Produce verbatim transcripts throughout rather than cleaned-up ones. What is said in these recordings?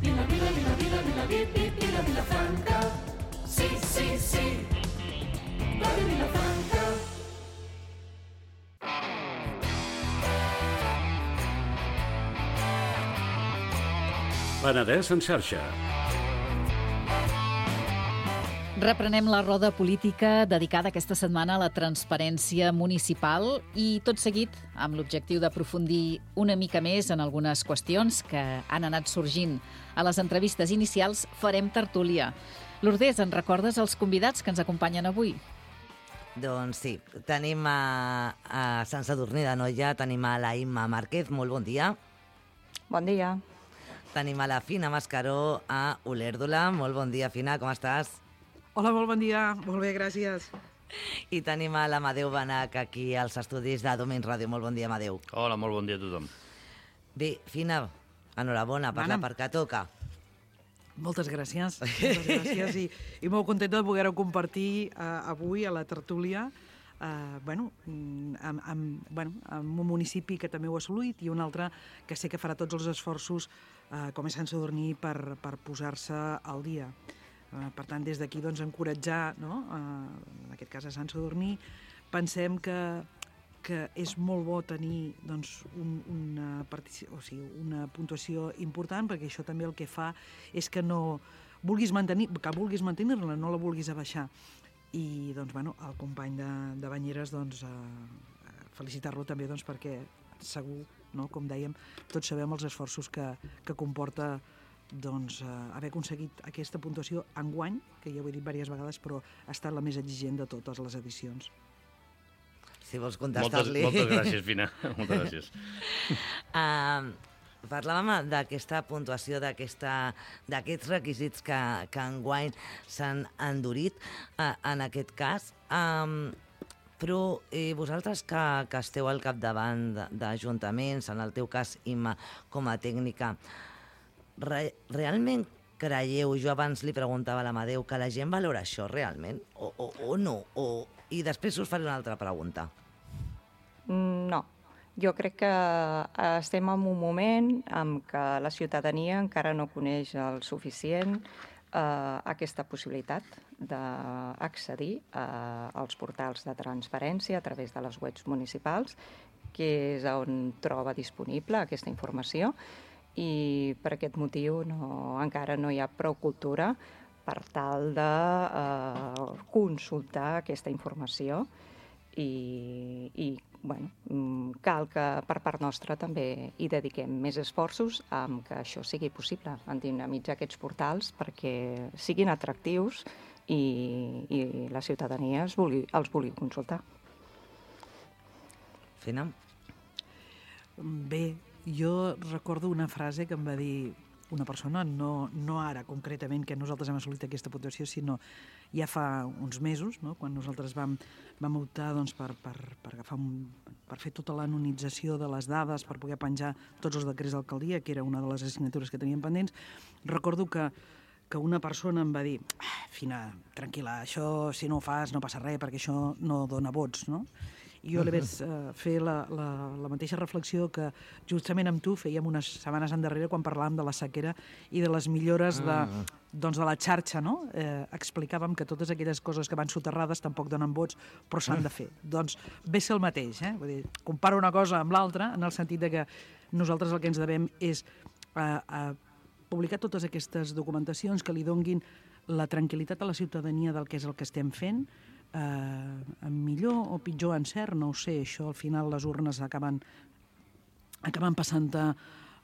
Vila, vila, vila, vila, vila, vila, vila, Vilafranca. Sí, sí, sí. Ràdio Vilafranca. Penedès en xarxa. Reprenem la roda política dedicada aquesta setmana a la transparència municipal i tot seguit amb l'objectiu d'aprofundir una mica més en algunes qüestions que han anat sorgint. A les entrevistes inicials farem tertúlia. Lourdes, en recordes els convidats que ens acompanyen avui? Doncs sí, tenim a, a Sant Sadurní d'Anoia, tenim a la Imma Márquez, molt bon dia. Bon dia. Tenim a la Fina Mascaró a Olèrdola, molt bon dia, Fina, com estàs? Hola, molt bon dia. Molt bé, gràcies. I tenim a l'Amadeu Benach aquí als estudis de Domins Ràdio. Molt bon dia, Amadeu. Hola, molt bon dia a tothom. Bé, Fina, enhorabona per la part que toca. Moltes gràcies. Moltes gràcies i, i molt contenta de poder-ho compartir uh, avui a la tertúlia uh, bueno, amb, amb, bueno, amb un municipi que també ho ha assolit i un altre que sé que farà tots els esforços uh, com és Sant Sadurní per, per posar-se al dia. Uh, per tant, des d'aquí doncs, encoratjar, no? uh, en aquest cas a Sant Sadurní, pensem que, que és molt bo tenir doncs, un, una, partici- o sigui, una puntuació important, perquè això també el que fa és que no vulguis mantenir, que vulguis mantenir-la, no la vulguis abaixar. I doncs, bueno, el company de, de Banyeres, doncs, uh, felicitar-lo també doncs, perquè segur, no? Com dèiem, tots sabem els esforços que, que comporta doncs, eh, haver aconseguit aquesta puntuació enguany, que ja ho he dit diverses vegades, però ha estat la més exigent de totes les edicions. Si vols contestar-li... Moltes, moltes gràcies, Fina. Moltes gràcies. uh, parlàvem d'aquesta puntuació, d'aquests requisits que, que enguany s'han endurit, uh, en aquest cas. Um, però eh, vosaltres que, que esteu al capdavant d'ajuntaments, en el teu cas, Imma, com a tècnica, Re, realment creieu, jo abans li preguntava a l'Amadeu, que la gent valora això realment? O, o, o no? O, I després us faré una altra pregunta. No. Jo crec que estem en un moment en què la ciutadania encara no coneix el suficient eh, aquesta possibilitat d'accedir eh, als portals de transparència a través de les webs municipals, que és on troba disponible aquesta informació. I per aquest motiu no, encara no hi ha prou cultura per tal de eh, consultar aquesta informació i, i bueno, cal que per part nostra també hi dediquem més esforços amb que això sigui possible, en dinamitzar aquests portals perquè siguin atractius i, i la ciutadania els vulgui, els vulgui consultar. Fina? Bé, jo recordo una frase que em va dir una persona, no, no ara concretament que nosaltres hem assolit aquesta puntuació, sinó ja fa uns mesos, no? Quan nosaltres vam, vam optar doncs, per, per, per, agafar un, per fer tota l'anonització de les dades, per poder penjar tots els decrets d'alcaldia, que era una de les assignatures que teníem pendents. Recordo que, que una persona em va dir, ah, Fina, tranquil·la, això si no ho fas no passa res, perquè això no dona vots, no? I jo li vaig uh, fer la, la, la mateixa reflexió que justament amb tu fèiem unes setmanes endarrere quan parlàvem de la sequera i de les millores de, doncs de la xarxa, no? Eh, explicàvem que totes aquelles coses que van soterrades tampoc donen vots, però s'han de fer. Doncs ve ser el mateix, eh? Vull dir, comparo una cosa amb l'altra en el sentit de que nosaltres el que ens devem és uh, uh, publicar totes aquestes documentacions que li donguin la tranquil·litat a la ciutadania del que és el que estem fent, eh, millor o pitjor encert, no ho sé, això al final les urnes acaben, acaben passant a,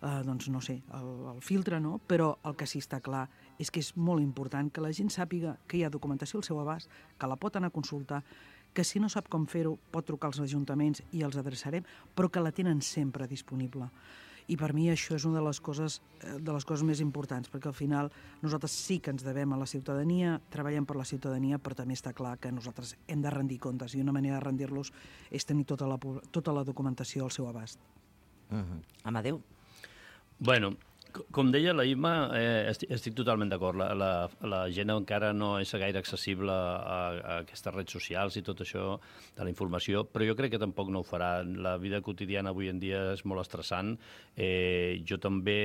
eh, doncs no sé, el, el filtre, no? Però el que sí està clar és que és molt important que la gent sàpiga que hi ha documentació al seu abast, que la pot anar a consultar, que si no sap com fer-ho pot trucar als ajuntaments i els adreçarem, però que la tenen sempre disponible. I per mi això és una de les coses, de les coses més importants, perquè al final nosaltres sí que ens devem a la ciutadania, treballem per la ciutadania, però també està clar que nosaltres hem de rendir comptes, i una manera de rendir-los és tenir tota la, tota la documentació al seu abast. Uh-huh. Amadeu? Bueno, Com deia la Imma, eh, estic, estic totalment d'acord. La, la, la gent encara no és gaire accessible a, a aquestes redes socials i tot això de la informació, però jo crec que tampoc no ho farà. La vida quotidiana avui en dia és molt estressant. Eh, jo també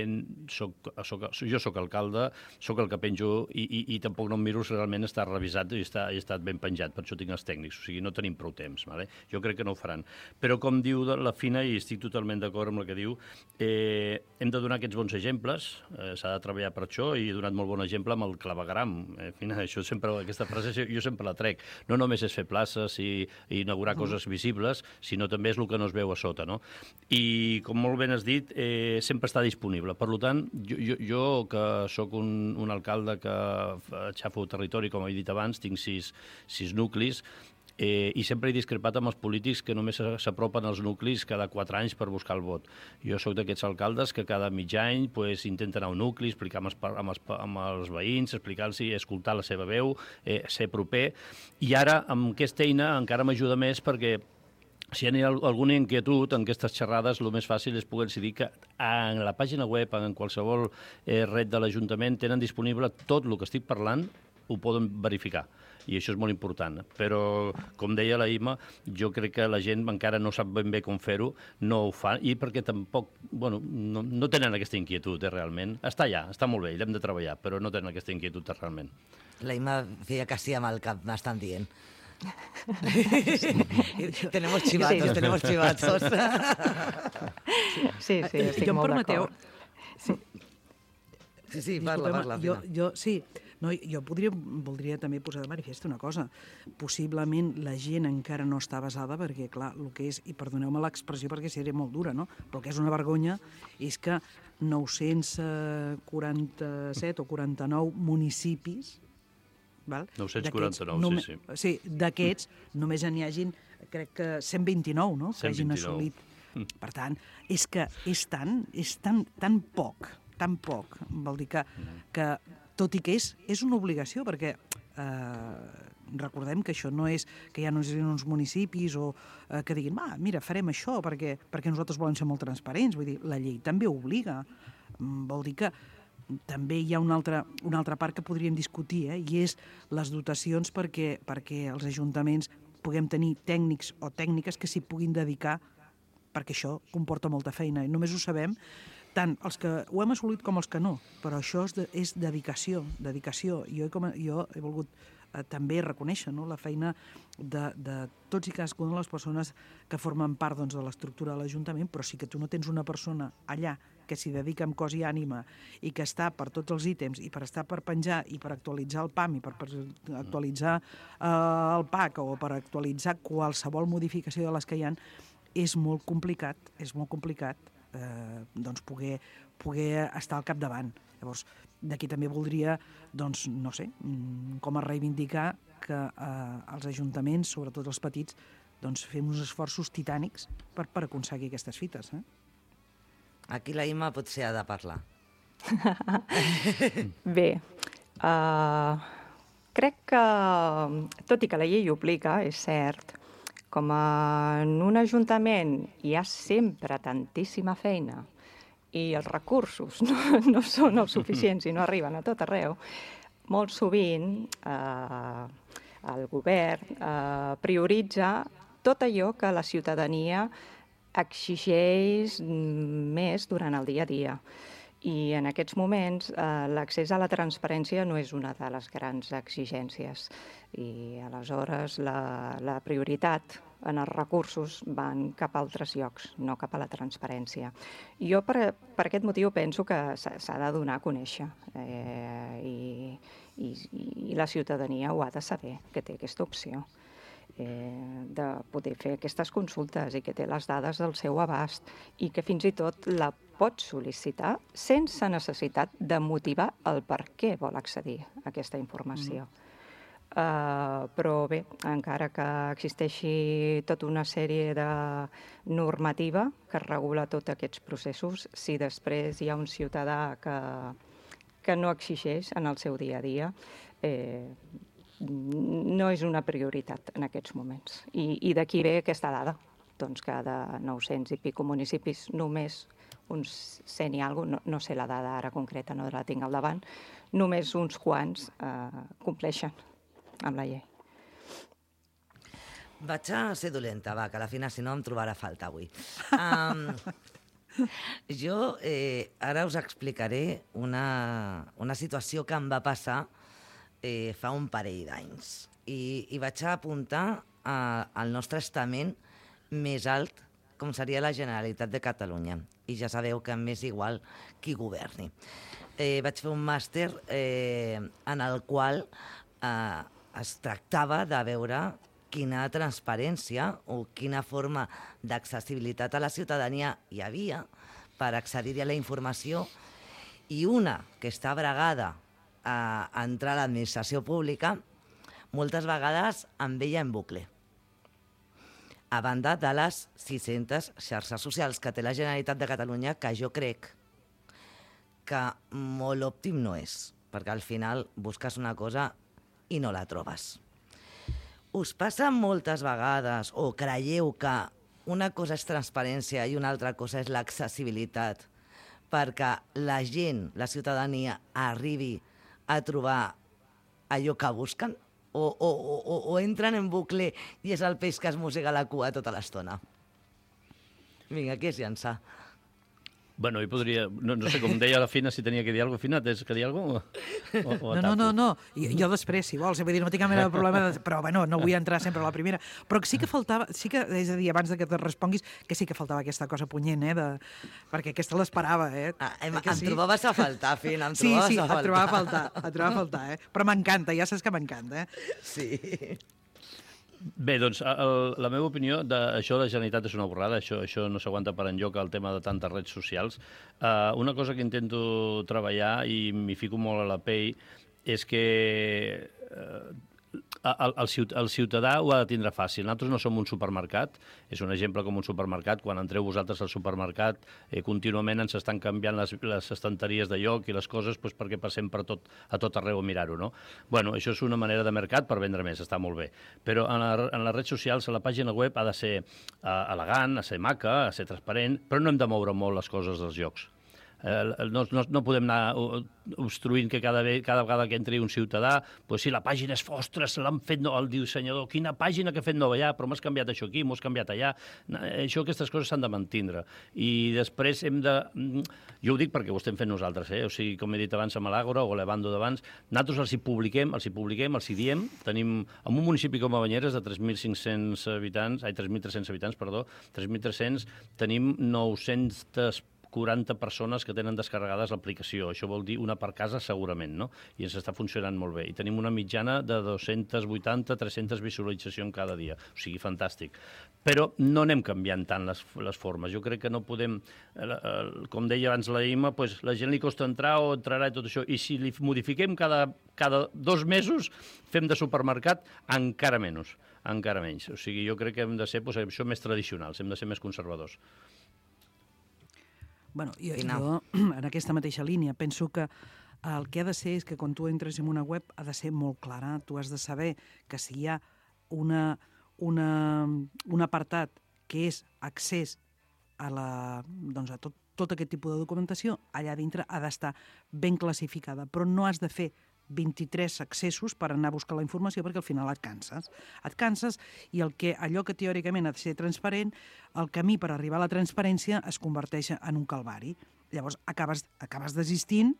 soc, soc, jo soc alcalde, soc el que penjo i, i, i tampoc no em miro si realment està revisat i està, i està ben penjat, per això tinc els tècnics, o sigui, no tenim prou temps. Vale? Jo crec que no ho faran. Però com diu la Fina, i estic totalment d'acord amb el que diu, eh, hem de donar aquests bons exemples. Eh, s'ha de treballar per això i he donat molt bon exemple amb el clavegram. Eh, Fina, això sempre, aquesta frase jo sempre la trec. No només és fer places i, i inaugurar mm. coses visibles, sinó també és el que no es veu a sota. No? I, com molt ben has dit, eh, sempre està disponible. Per tant, jo, jo, jo que sóc un, un alcalde que aixafo territori, com he dit abans, tinc sis, sis nuclis, Eh, i sempre he discrepat amb els polítics que només s'apropen als nuclis cada quatre anys per buscar el vot. Jo sóc d'aquests alcaldes que cada mig any pues, intenten anar a un nucli, explicar amb els, amb els, amb els veïns, explicar-los, escoltar la seva veu, eh, ser proper. I ara, amb aquesta eina, encara m'ajuda més perquè si hi ha alguna inquietud en aquestes xerrades, el més fàcil és poder decidir que en la pàgina web, en qualsevol eh, red de l'Ajuntament, tenen disponible tot el que estic parlant, ho poden verificar. I això és molt important. Però, com deia la Imma, jo crec que la gent encara no sap ben bé com fer-ho, no ho fa, i perquè tampoc, bueno, no, no tenen aquesta inquietud, eh, realment. Està allà, està molt bé, l'hem de treballar, però no tenen aquesta inquietud, realment. La Imma feia que sí amb el cap, m'estan dient. tenemos chivatos, sí. tenemos chivatos. sí, sí, estic jo molt permeteu... d'acord. Sí. sí, sí, parla, parla. Jo, jo, sí, no, jo podria, voldria també posar de manifest una cosa. Possiblement la gent encara no està basada perquè, clar, el que és, i perdoneu-me l'expressió perquè seria molt dura, no? Però el que és una vergonya és que nou-cents quaranta-set o quaranta-nou municipis, val? nou-cents quaranta-nou, només, sí, sí. Sí, d'aquests només n'hi hagin, crec que cent vint-i-nou, no? cent vint-i-nou. Que hagin assolit. Per tant, és que és tan, és tan, tan poc, tan poc, vol dir que, que tot i que és, és una obligació, perquè eh, recordem que això no és que hi ha uns, uns municipis o eh, que diguin, va, mira, farem això perquè, perquè nosaltres volem ser molt transparents. Vull dir, la llei també obliga. Vol dir que també hi ha una altra, una altra part que podríem discutir, eh, i és les dotacions perquè, perquè els ajuntaments puguem tenir tècnics o tècniques que s'hi puguin dedicar, perquè això comporta molta feina. I només ho sabem tant els que ho hem assolit com els que no, però això és, de, és dedicació, dedicació. Jo he, com, jo he volgut eh, també reconèixer, no?, la feina de, de tots i cadascuna de les persones que formen part, doncs, de l'estructura de l'Ajuntament, però sí que tu no tens una persona allà que s'hi dedica amb cos i ànima i que està per tots els ítems i per estar per penjar i per actualitzar el P A M i per, per actualitzar eh, el P A C o per actualitzar qualsevol modificació de les que hi ha, és molt complicat, és molt complicat eh, doncs poder, poder estar al capdavant. Llavors, d'aquí també voldria, doncs, no sé, com a reivindicar que eh, els ajuntaments, sobretot els petits, doncs fem uns esforços titànics per, per aconseguir aquestes fites. Eh? Aquí la Imma potser ha de parlar. Bé, uh, crec que, tot i que la llei obliga, és cert, com en un ajuntament hi ha sempre tantíssima feina i els recursos no, no són els suficients i no arriben a tot arreu, molt sovint eh, el govern eh, prioritza tot allò que la ciutadania exigeix més durant el dia a dia. I en aquests moments eh, l'accés a la transparència no és una de les grans exigències. I aleshores la, la prioritat en els recursos van cap a altres llocs, no cap a la transparència. Jo per, per aquest motiu penso que s'ha de donar a conèixer eh, i, i, i la ciutadania ho ha de saber, que té aquesta opció. Eh, de poder fer aquestes consultes i que té les dades del seu abast i que fins i tot la pot sol·licitar sense necessitat de motivar el per què vol accedir a aquesta informació. Mm. Uh, però bé, encara que existeixi tota una sèrie de normativa que regula tots aquests processos, si després hi ha un ciutadà que, que no exigeix en el seu dia a dia, eh, no és una prioritat en aquests moments. I, i d'aquí ve aquesta dada, doncs que de nou-cents i pico municipis només uns cent i alguna cosa, no, no sé la dada ara concreta, no la tinc al davant, només uns quants eh, compleixen amb la llei. Vaig a ser dolenta, va, que a la final, si no, em trobarà falta avui. Um, jo eh, ara us explicaré una, una situació que em va passar eh, fa un parell d'anys. I, I vaig a apuntar a, al nostre estament més alt, com seria la Generalitat de Catalunya. I ja sabeu que m'és igual qui governi. Eh, vaig fer un màster eh, en el qual eh, es tractava de veure quina transparència o quina forma d'accessibilitat a la ciutadania hi havia per accedir a la informació, i una que està bregada a entrar a l'administració pública, moltes vegades em veia en bucle. A banda de les sis-centes xarxes socials que té la Generalitat de Catalunya, que jo crec que molt òptim no és, perquè al final busques una cosa i no la trobes. Us passa moltes vegades, o creieu que una cosa és transparència i una altra cosa és l'accessibilitat, perquè la gent, la ciutadania, arribi a trobar allò que busquen? O, o, o, o entren en bucle i és el peix que es mossega la cua tota l'estona? Vinga, qui es llança? Bueno, jo podria... No, no sé, com deia la Fina, si tenia que dir alguna cosa. Fina, tens que dir alguna cosa? O, o no, no, no, no. Jo, jo després, si vols, vull dir, no tinc cap mena de problema, de... però bueno, no vull entrar sempre a la primera. Però sí que faltava, sí que, és a dir, abans de que te responguis, que sí que faltava aquesta cosa punyent, eh, de... perquè aquesta l'esperava, eh. Ah, em, eh em sí? trobaves a faltar, Fina, em sí, trobaves sí, a faltar. et trobava a faltar, et trobava a faltar, eh. Però m'encanta, ja saps que m'encanta, eh. Sí. Bé, doncs, el, la meva opinió d'això de la Generalitat és una borrada, això, això no s'aguanta per enlloc, el tema de tantes redes socials. Uh, una cosa que intento treballar, i m'hi fico molt a la pell, és que uh, el, el, el ciutadà ho ha de tindre fàcil. Nosaltres no som un supermercat, és un exemple com un supermercat. Quan entreu vosaltres al supermercat, eh, contínuament ens estan canviant les, les estanteries de lloc i les coses doncs, perquè passem per tot, a tot arreu a mirar-ho, no? Bueno, això és una manera de mercat per vendre més, està molt bé. Però en, la, en les redes socials, a la pàgina web, ha de ser uh, elegant, ha de ser maca, ha de ser transparent, però no hem de moure molt les coses dels llocs. Eh, no, no, no podem anar obstruint que cada, ve, cada vegada que entri un ciutadà, pues si la pàgina és ostres, l'han fet no, el dissenyador, quina pàgina que ha fet nova ja, però m'has canviat això aquí, m'ho has canviat allà. Això, aquestes coses s'han de mantindre. I després hem de... Jo ho dic perquè ho estem fent nosaltres, eh? O sigui, com he dit abans amb l'Àgora o l'Evando d'abans, nosaltres els hi publiquem, els hi publiquem, els hi diem. Tenim, en un municipi com a Banyeres, de tres mil cinc-cents habitants, ai, tres mil tres-cents habitants, perdó, tres mil tres-cents, tenim nou-cents quaranta persones que tenen descarregades l'aplicació. Això vol dir una per casa segurament, no? I ens està funcionant molt bé. I tenim una mitjana de dos-cents vuitanta a tres-centes visualitzacions cada dia. O sigui, fantàstic. Però no anem canviant tant les, les formes. Jo crec que no podem... Com deia abans la Ima, pues, la gent li costa entrar o entrarà i tot això. I si li modifiquem cada, cada dos mesos, fem de supermercat encara menys. Encara menys. O sigui, jo crec que hem de ser pues, això més tradicionals, hem de ser més conservadors. Bueno, jo, jo, en aquesta mateixa línia, penso que el que ha de ser és que quan tu entres en una web ha de ser molt clara. Tu has de saber que si hi ha una, una, un apartat que és accés a, la, doncs a tot, tot aquest tipus de documentació, allà dintre ha d'estar ben classificada, però no has de fer vint-i-tres accessos per anar a buscar la informació perquè al final et canses. Et canses i el que, allò que teòricament ha de ser transparent, el camí per arribar a la transparència es converteix en un calvari. Llavors acabes, acabes desistint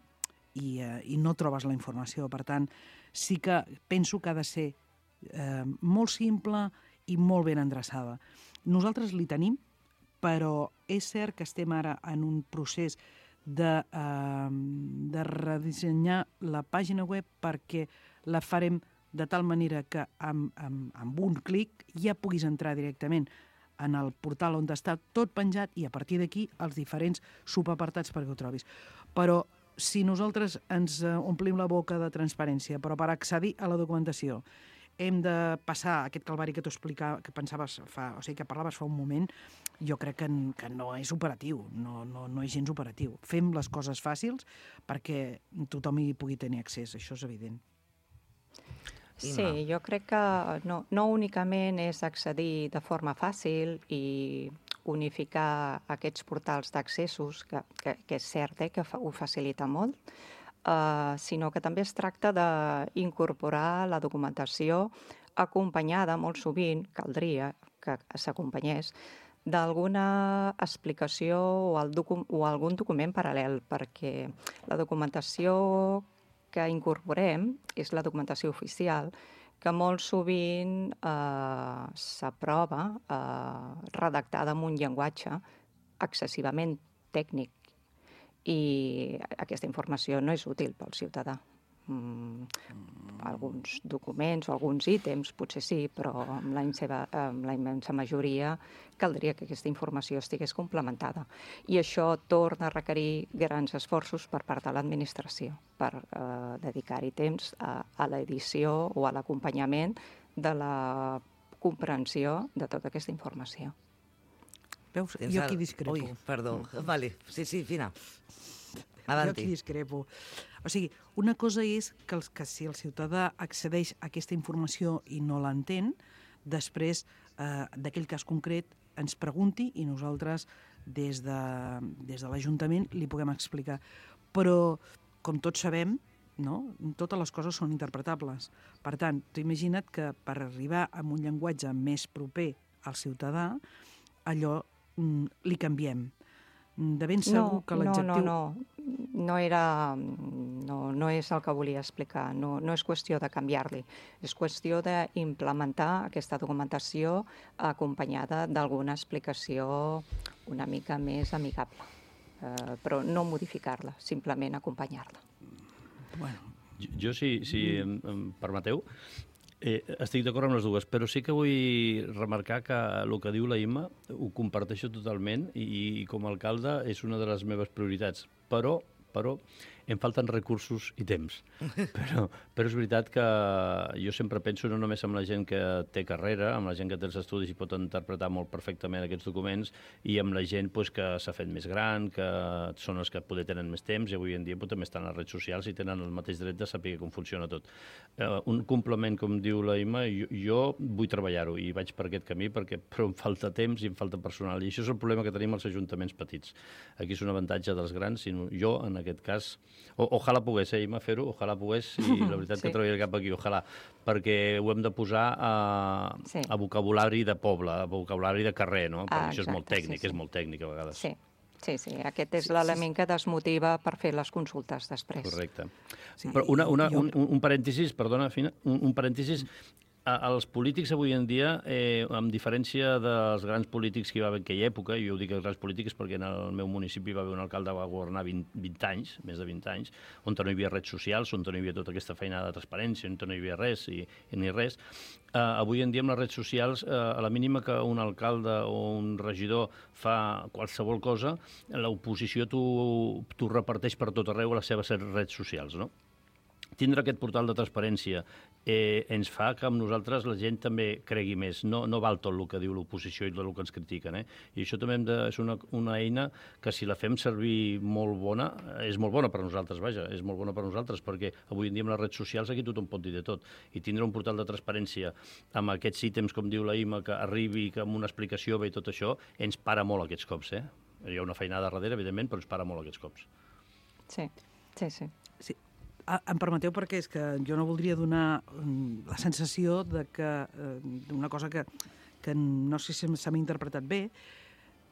i, eh, i no trobes la informació. Per tant, sí que penso que ha de ser eh, molt simple i molt ben endreçada. Nosaltres li tenim, però és cert que estem ara en un procés de, eh, de redissenyar la pàgina web perquè la farem de tal manera que amb, amb, amb un clic ja puguis entrar directament en el portal on està tot penjat i a partir d'aquí els diferents subapartats perquè ho trobis. Però si nosaltres ens omplim la boca de transparència, però per accedir a la documentació hem de passar aquest calvari que t'ho explicava, que pensaves fa, o sigui, que parlaves fa un moment, jo crec que, que no és operatiu, no, no, no és gens operatiu. Fem les coses fàcils perquè tothom hi pugui tenir accés, això és evident. Sí, jo crec que no, no únicament és accedir de forma fàcil i unificar aquests portals d'accessos, que, que, que és cert eh, que fa, ho facilita molt, eh, sinó que també es tracta d'incorporar la documentació acompanyada, molt sovint, caldria que s'acompanyés, d'alguna explicació o, el docu o algun document paral·lel, perquè la documentació que incorporem és la documentació oficial, que molt sovint eh, s'aprova eh, redactada en un llenguatge excessivament tècnic i aquesta informació no és útil pel ciutadà. Mm, alguns documents o alguns ítems potser sí, però amb la, seva, amb la immensa majoria caldria que aquesta informació estigués complementada. I això torna a requerir grans esforços per part de l'administració per eh, dedicar-hi temps a, a l'edició o a l'acompanyament de la comprensió de tota aquesta informació. Veus? Jo aquí discrepo. Ui, perdó. Vale. Sí, sí, Fina. Jo aquí discrepo. O sigui, una cosa és que, els, que si el ciutadà accedeix a aquesta informació i no l'entén, després eh, d'aquell cas concret ens pregunti i nosaltres des de, des de l'Ajuntament li puguem explicar. Però, com tots sabem, no? Totes les coses són interpretables. Per tant, tu imagina't que per arribar a un llenguatge més proper al ciutadà, allò mm, li canviem. De ben segur no, que l'adjectiu... No, no, no. No, era, no, no és el que volia explicar. No, no és qüestió de canviar-li. És qüestió d'implementar aquesta documentació acompanyada d'alguna explicació una mica més amigable. Eh, però no modificar-la, simplement acompanyar-la. Bueno. Jo, jo si, si em, em permeteu, Eh, estic d'acord amb les dues, però sí que vull remarcar que el que diu la Imma ho comparteixo totalment i, i com a alcalde és una de les meves prioritats. Però, però em falten recursos i temps. Però, però és veritat que jo sempre penso no només amb la gent que té carrera, amb la gent que té els estudis i pot interpretar molt perfectament aquests documents, i amb la gent pues, que s'ha fet més gran, que són els que poder tenen més temps, i avui en dia pues, també estan a les redes socials i tenen el mateix dret de saber com funciona tot. Uh, un complement, com diu la Imma, jo, jo vull treballar-ho i vaig per aquest camí, perquè però em falta temps i em falta personal, i això és el problema que tenim als ajuntaments petits. Aquí és un avantatge dels grans, sinó jo, en aquest cas, O, ojalà pogués, eh, Imma, fer-ho, ojalà pogués, i la veritat sí. que treballaré cap aquí, ojalà, perquè ho hem de posar a, sí. a vocabulari de poble, a vocabulari de carrer, no? Perquè ah, això és molt tècnic, sí, sí. és molt tècnic a vegades. Sí, sí, sí. aquest és sí, l'element sí. que desmotiva per fer les consultes després. Correcte. Sí. Però una, una, un, un parèntesis, perdona, Fina, un, un parèntesis... Els polítics avui en dia, eh, amb diferència dels grans polítics que hi va haver en aquella època, i jo ho dic els grans polítics perquè en el meu municipi va haver un alcalde que va governar vint, vint anys, més de vint anys, on no hi havia redes socials, on no hi havia tota aquesta feina de transparència, on no hi havia res i, i ni res. Eh, avui en dia amb les redes socials, eh, a la mínima que un alcalde o un regidor fa qualsevol cosa, l'oposició t'ho reparteix per tot arreu a les seves redes socials, no? Tindre aquest portal de transparència eh, ens fa que amb nosaltres la gent també cregui més. No, no val tot el que diu l'oposició i tot el que ens critiquen. Eh? I això també hem de, és una, una eina que si la fem servir molt bona, és molt bona per nosaltres, vaja, és molt bona per nosaltres, perquè avui en dia amb les redes socials aquí tothom pot dir de tot. I tindre un portal de transparència amb aquests ítems, com diu la Imma, que arribi, que amb una explicació ve i tot això, ens para molt aquests cops. Eh? Hi ha una feinada darrere, evidentment, però ens para molt aquests cops. Sí, sí, sí. sí. Em permeteu perquè és que jo no voldria donar la sensació de que d'una cosa que, que no sé si s'ha interpretat bé.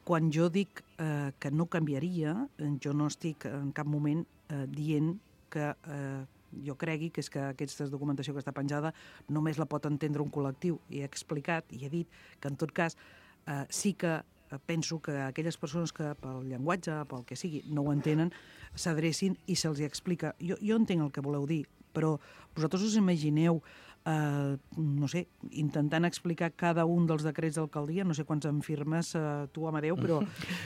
Quan jo dic eh, que no canviaria, jo no estic en cap moment eh, dient que eh, jo cregui que és que aquesta documentació que està penjada només la pot entendre un col·lectiu. I he explicat i he dit que en tot cas eh, sí que penso que aquelles persones que pel llenguatge, pel que sigui, no ho entenen, s'adrecin i se'ls explica. Jo, jo entenc el que voleu dir, però vosaltres us imagineu, eh, no sé, intentant explicar cada un dels decrets d'alcaldia, no sé quants en firmes eh, tu, Amadeu, però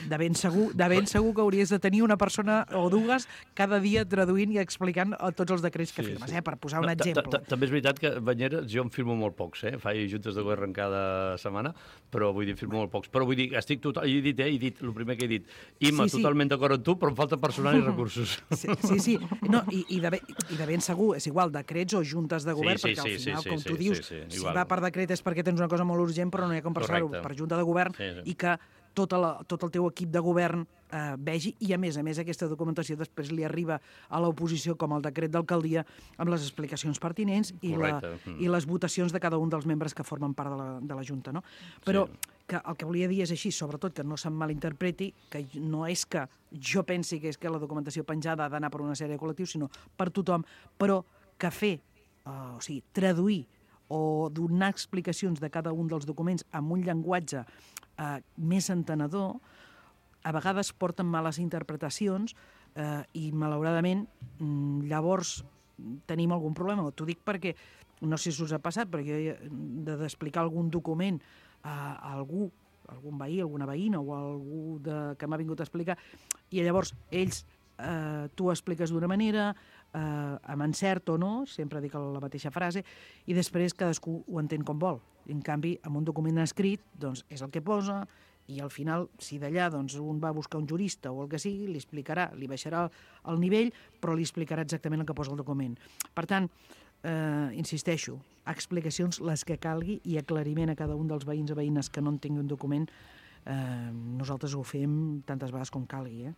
de ben, segur, de ben segur que hauries de tenir una persona o dues cada dia traduint i explicant tots els decrets que sí, firmes, sí. eh, per posar un exemple. També és veritat que, Banyeres, jo en firmo molt pocs, eh? Faig juntes de govern cada setmana, però vull dir, firmo molt pocs. Però vull dir, estic total... he dit, eh? He dit, el primer que he dit, Imma, sí, sí. totalment d'acord amb tu, però em falta personal i recursos. Sí, sí, sí. No, i, i, de ben, i de ben segur, és igual, decrets o juntes de govern, sí, sí, perquè al final, sí, sí, com tu sí, dius, sí, sí, si va per decret és perquè tens una cosa molt urgent, però no hi ha com passar-ho per junta de govern, sí, sí. i que tot, la, tot el teu equip de govern eh, vegi, i a més a més aquesta documentació després li arriba a l'oposició com el decret d'alcaldia amb les explicacions pertinents i, la, mm. i les votacions de cada un dels membres que formen part de la, de la Junta. No? Però sí. que el que volia dir és així, sobretot que no se'm malinterpreti, que no és que jo pensi que és que la documentació penjada ha d'anar per una sèrie de col·lectius, sinó per tothom, però que fer, uh, o sigui, traduir o donar explicacions de cada un dels documents amb un llenguatge uh, més entenedor, a vegades porten males interpretacions eh, i, malauradament, llavors tenim algun problema. T'ho dic perquè, no sé si us ha passat, però jo he d'explicar algun document a, a algú, algun veí, alguna veïna o algú de, que m'ha vingut a explicar, i llavors ells, eh, tu expliques d'una manera, eh, amb encert o no, sempre dic la mateixa frase, i després cadascú ho entén com vol. En canvi, amb un document escrit, doncs, és el que posa, i al final, si d'allà doncs, un va a buscar un jurista o el que sigui, li explicarà, li baixarà el nivell, però li explicarà exactament el que posa el document. Per tant, eh, insisteixo, explicacions les que calgui i aclariment a cada un dels veïns o veïnes que no en tingui un document, eh, nosaltres ho fem tantes vegades com calgui. Eh?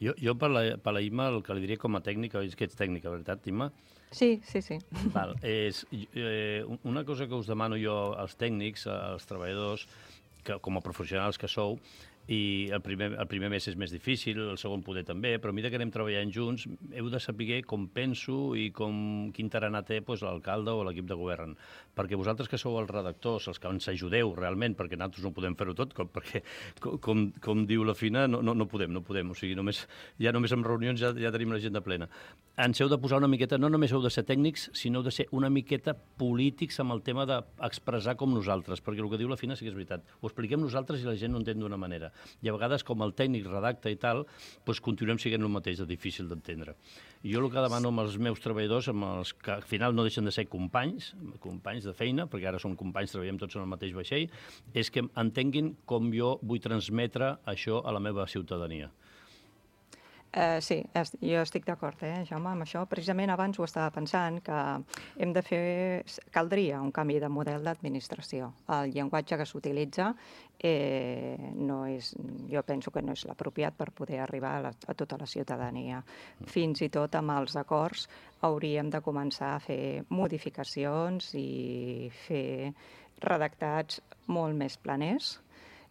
Jo, jo per, la, per la Imma, el que li diria com a tècnica, és que ets tècnica, veritat, Imma? Sí, sí, sí. Val, és, eh, una cosa que us demano jo als tècnics, als treballadors, que, com a professionals que sou, i el primer, el primer mes és més difícil, el segon poder també, però a mesura que anem treballant junts heu de saber com penso i com, quin tarannà té doncs, l'alcalde o l'equip de govern. Perquè vosaltres que sou els redactors, els que ens ajudeu realment, perquè nosaltres no podem fer-ho tot, com, perquè, com, com, com diu la Fina, no, no, no podem, no podem. O sigui, només, ja només en reunions ja, ja tenim l'agenda plena. Ens heu de posar una miqueta, no només heu de ser tècnics, sinó heu de ser una miqueta polítics amb el tema d'expressar com nosaltres, perquè el que diu la Fina sí que és veritat. Ho expliquem nosaltres i la gent no entén d'una manera. I a vegades, com el tècnic redacta i tal, doncs continuem sent el mateix, de difícil d'entendre. I jo el que demano amb els meus treballadors, amb els que al final no deixen de ser companys, companys de feina, perquè ara som companys, treballem tots en el mateix vaixell, és que entenguin com jo vull transmetre això a la meva ciutadania. Uh, sí, jo estic d'acord, eh, Jaume, amb això. Precisament abans ho estava pensant, que hem de fer... Caldria un canvi de model d'administració. El llenguatge que s'utilitza eh, no és, jo penso que no és l'apropiat per poder arribar a, la, a tota la ciutadania. Fins i tot amb els acords hauríem de començar a fer modificacions i fer redactats molt més planers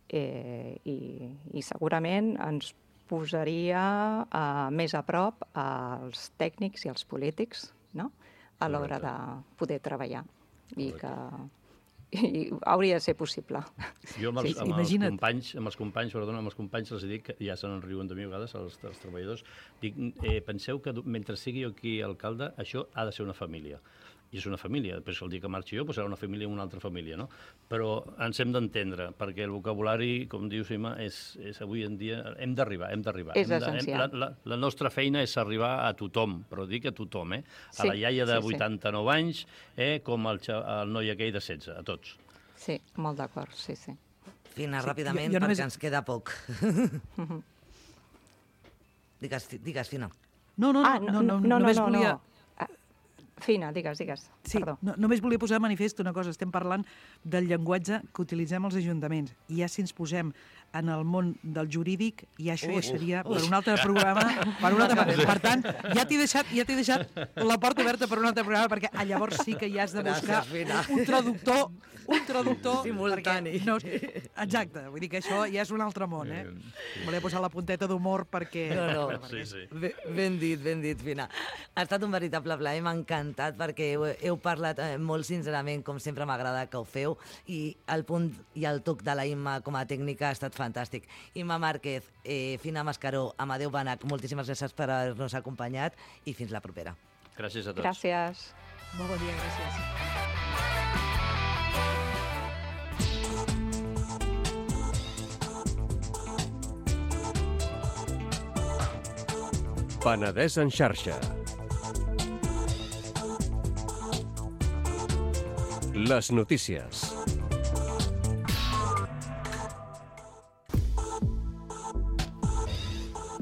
eh, i, i segurament ens posaria uh, més a prop als tècnics i als polítics, no? A l'hora de poder treballar. I que i hauria de ser possible. Jo amb els, sí, amb els imagina't. companys, amb els companys, perdona, amb els companys els dic, ja se n'enriuen de mi a vegades, els, els treballadors, dic, eh, penseu que mentre sigui jo aquí alcalde, això ha de ser una família. I és una família. Després, el dia que marxi jo, doncs serà una família i una altra família, no? Però ens hem d'entendre, perquè el vocabulari, com diu Sima, és, és avui en dia... Hem d'arribar, hem d'arribar. És essencial. La, la, la nostra feina és arribar a tothom, però dic a tothom, eh? A Sí, la iaia de sí, sí. vuitanta-nou anys, eh? Com el, el noi aquell de setze, a tots. Sí, molt d'acord, sí, sí. Fina, Sí, ràpidament, jo- jo només- perquè ens queda poc. digues, digues, Fina. No, no, Ah, no, no, no, no, només no, volia... no. Fina, digues, digues. Sí, Perdó. no, només volia posar de manifest una cosa. Estem parlant del llenguatge que utilitzem els ajuntaments. I ja si ens posem en el món del jurídic, ja això ja seria per un altre programa, per un altre programa. Per tant, ja t'he deixat, ja t'he deixat la porta oberta per un altre programa, perquè ah, llavors sí que ja has de buscar Gràcies, Fina. un traductor, un traductor... Simultani. perquè No, exacte, vull dir que això ja és un altre món, eh? Volia posar la punteta d'humor perquè... No, no. Sí, sí. Ben, ben dit, ben dit, Fina. Ha estat un veritable plaer, m'ha encantat, perquè heu, heu parlat eh, molt sincerament, com sempre m'agrada que ho feu, i el punt i el toc de la Imma com a tècnica ha estat fantàstic. Imma Márquez, eh, Fina Mascaró, Amadeu Banach, moltíssimes gràcies per haver-nos acompanyat i fins la propera. Gràcies a tots. Gràcies. Molt bon dia, gràcies. Penedès en xarxa. Les notícies.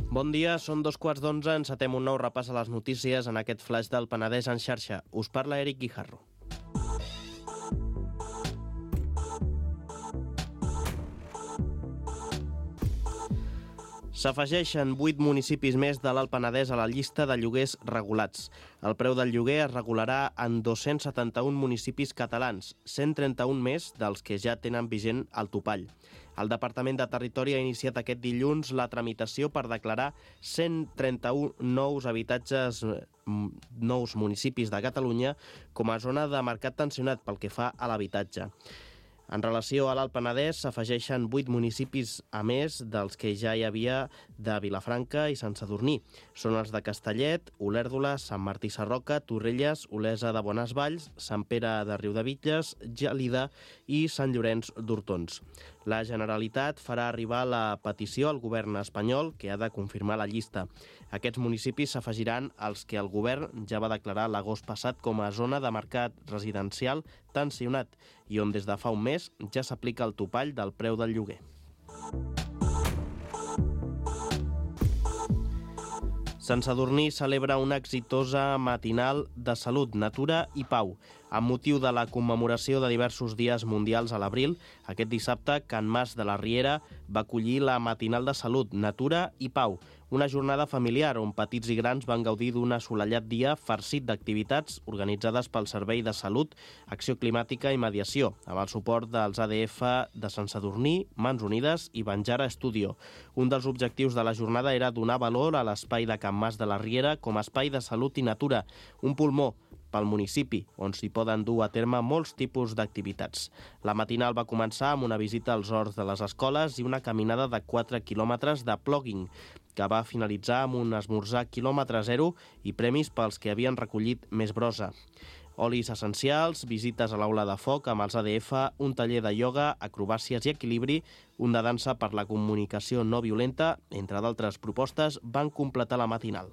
Bon dia, són dos quarts d'onze, encetem un nou repàs a les notícies en aquest flash del Penedès en xarxa. Us parla Eric Guijarro. S'afegeixen vuit municipis més de l'Alt Penedès a la llista de lloguers regulats. El preu del lloguer es regularà en dos-cents setanta-un municipis catalans, cent trenta-un més dels que ja tenen vigent el topall. El Departament de Territori ha iniciat aquest dilluns la tramitació per declarar cent trenta-un nous habitatges, nous municipis de Catalunya com a zona de mercat tensionat pel que fa a l'habitatge. En relació a l'Alt Penedès, s'afegeixen vuit municipis a més dels que ja hi havia de Vilafranca i Sant Sadurní. Són els de Castellet, Olèrdola, Sant Martí Sarroca, Torrelles, Olesa de Bonesvalls, Sant Pere de Riudebitlles, Gelida i Sant Llorenç d'Hortons. La Generalitat farà arribar la petició al govern espanyol, que ha de confirmar la llista. Aquests municipis s'afegiran als que el govern ja va declarar l'agost passat com a zona de mercat residencial tensionat i on des de fa un mes ja s'aplica el topall del preu del lloguer. Sant Sadurní celebra una exitosa matinal de salut, natura i pau. Amb motiu de la commemoració de diversos dies mundials a l'abril, aquest dissabte Can Mas de la Riera va acollir la matinal de salut, natura i pau, una jornada familiar on petits i grans van gaudir d'un assolellat dia farcit d'activitats organitzades pel Servei de Salut, Acció Climàtica i Mediació, amb el suport dels A D F de Sant Sadurní, Mans Unides i Banjara Studio. Un dels objectius de la jornada era donar valor a l'espai de Can Mas de la Riera com a espai de salut i natura, un pulmó pel municipi, on s'hi poden dur a terme molts tipus d'activitats. La matinal va començar amb una visita als horts de les escoles i una caminada de quatre quilòmetres de plogging, que va finalitzar amb un esmorzar quilòmetre zero i premis pels que havien recollit més brossa. Olis essencials, visites a l'aula de foc amb els A D F, un taller de ioga, acrobàcies i equilibri, un de dansa per la comunicació no violenta, entre d'altres propostes, van completar la matinal.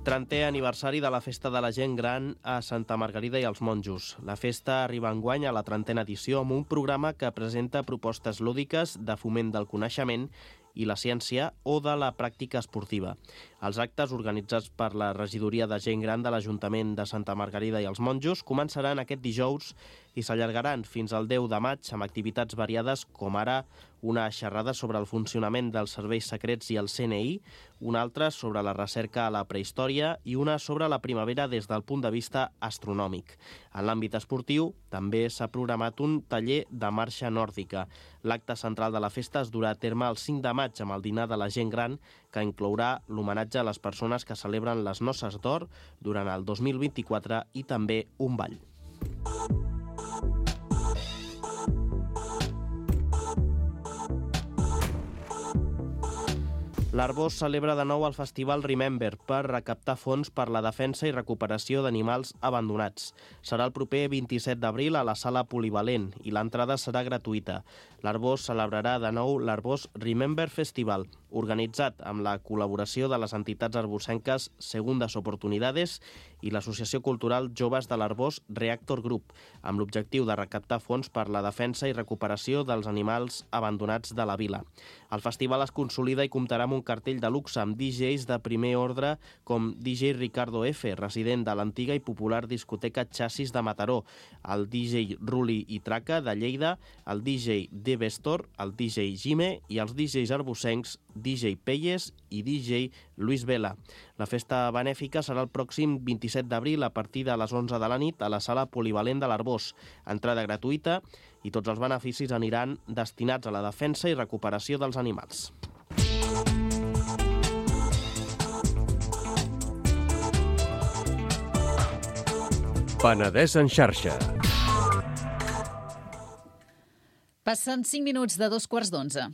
trentè aniversari de la Festa de la Gent Gran a Santa Margarida i els Monjos. La festa arriba enguany a la trentena edició amb un programa que presenta propostes lúdiques de foment del coneixement i la ciència o de la pràctica esportiva. Els actes organitzats per la Regidoria de Gent Gran de l'Ajuntament de Santa Margarida i els Monjos començaran aquest dijous i s'allargaran fins al deu de maig amb activitats variades com ara una xerrada sobre el funcionament dels serveis secrets i el C N I, una altra sobre la recerca a la prehistòria i una sobre la primavera des del punt de vista astronòmic. En l'àmbit esportiu també s'ha programat un taller de marxa nòrdica. L'acte central de la festa es durà a terme el cinc de maig amb el dinar de la gent gran, que inclourà l'homenatge a les persones que celebren les noces d'or durant el dos mil vint-i-quatre i també un ball. L'Arboç celebra de nou el festival Remember per recaptar fons per la defensa i recuperació d'animals abandonats. Serà el proper vint-i-set d'abril a la sala Polivalent i l'entrada serà gratuïta. L'Arboç celebrarà de nou l'Arboç Remember Festival, organitzat amb la col·laboració de les entitats arbocenques Segundas Oportunidades i l'Associació Cultural Joves de l'Arboç Reactor Group, amb l'objectiu de recaptar fons per la defensa i recuperació dels animals abandonats de la vila. El festival es consolida i comptarà amb un cartell de luxe amb D Js de primer ordre com D J Ricardo F, resident de l'antiga i popular discoteca Xassis de Mataró, el D J Ruli i Traca de Lleida, el D J D Vestor, el D J Gime i els D Js arbocencs D J Pelles i D J Luis Vela. La festa benèfica serà el pròxim vint-i-set d'abril a partir de les onze de la nit a la sala Polivalent de l'Arboç. Entrada gratuïta i tots els beneficis aniran destinats a la defensa i recuperació dels animals. Penedès en xarxa. Passen cinc minuts de dos quarts d'onze.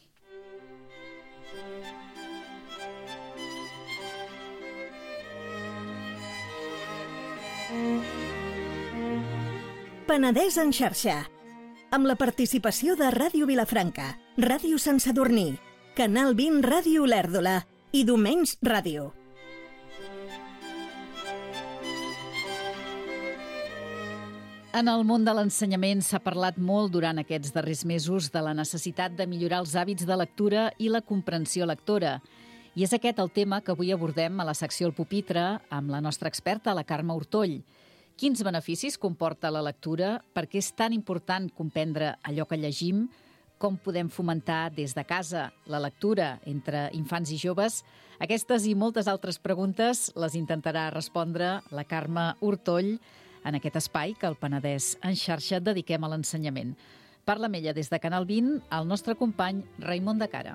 Penedès en xarxa, amb la participació de Ràdio Vilafranca, Ràdio Sant Sadurní, Canal vint Ràdio Olèrdola i Domenys Ràdio. En el món de l'ensenyament s'ha parlat molt durant aquests darrers mesos de la necessitat de millorar els hàbits de lectura i la comprensió lectora. I és aquest el tema que avui abordem a la secció El Pupitre amb la nostra experta, la Carme Hortoll. Quins beneficis comporta la lectura? Per què és tan important comprendre allò que llegim? Com podem fomentar des de casa la lectura entre infants i joves? Aquestes i moltes altres preguntes les intentarà respondre la Carme Hortoll en aquest espai que al Penedès en xarxa dediquem a l'ensenyament. Parla amb ella des de Canal vint el nostre company Raimon de Cara.